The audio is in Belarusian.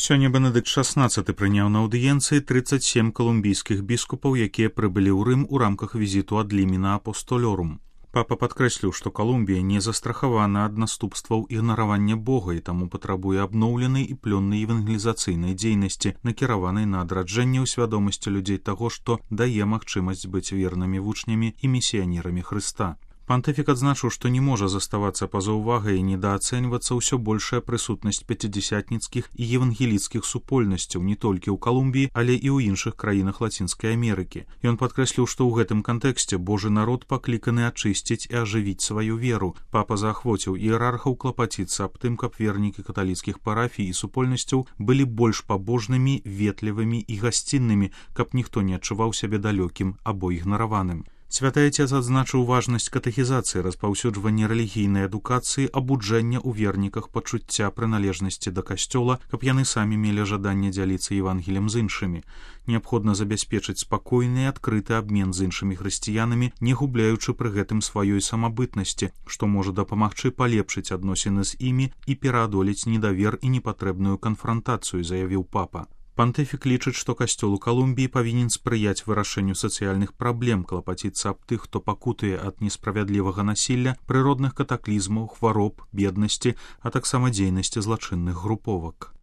Сёння Бенедыкт XVI прыняў на аўдыенцыі 37 колумбійскіх біскупаў, якія прыбылі ў Рым у рамках візіту ад Ліміна Апостолорум. Папа падкрэсліў, што Калумбія не застрахавана ад наступстваў ігнаравання Бога і таму патрабуе абноўленай і плённай евангелізацыйнай дзейнасці, накіраванай на адраджэнне ў свядомасці людзей таго, што дае магчымасць быць вернымі вучнямі і місіянерамі Хрыста. Пантыфік адзначыў, што не можа заставацца па-за ўвагай і недаацэньвацца ўсё большая прысутнасць пяцідзясятніцкіх і евангеліцкіх супольнасцяў не толькі ў Калумбіі, але і ў іншых краінах Лацінскай Амерыкі. Ён падкрэсліў, што ў гэтым кантэксце Божы народ пакліканы ачысціць і ажывіць сваю веру. Папа заахвоціў іерархаў клапаціцца аб тым, каб вернікі каталіцкіх парафій і супольнасцяў былі больш пабожнымі, ветлівымі і гасціннымі, каб ніхто не адчуваў сябе далёкім або ігнараваным. Святы Отец адзначыў важнасць катэхізацыі, распаўсюджвання рэлігійнай адукацыі, абуджэння ў верніках пачуцця прыналежнасці да касцёла, каб яны самі мелі жаданне дзяліцца Евангелем з іншымі. Неабходна забяспечыць спакойны і адкрыты абмен з іншымі хрысціянамі, не губляючы пры гэтым сваёй самабытнасці, што можа дапамагчы палепшыць адносіны з імі і пераадолець недавер і непатрэбную канфрантацыю, заявіў папа. Пантыфік лічыць, што касцёл у Калумбіі павінен спрыяць вырашэнню сацыяльных праблем, клапаціцца аб тых, хто пакутуе ад несправядлівага насілля, прыродных катаклізмаў, хвароб, беднасці, а таксама дзейнасці злачынных груповак.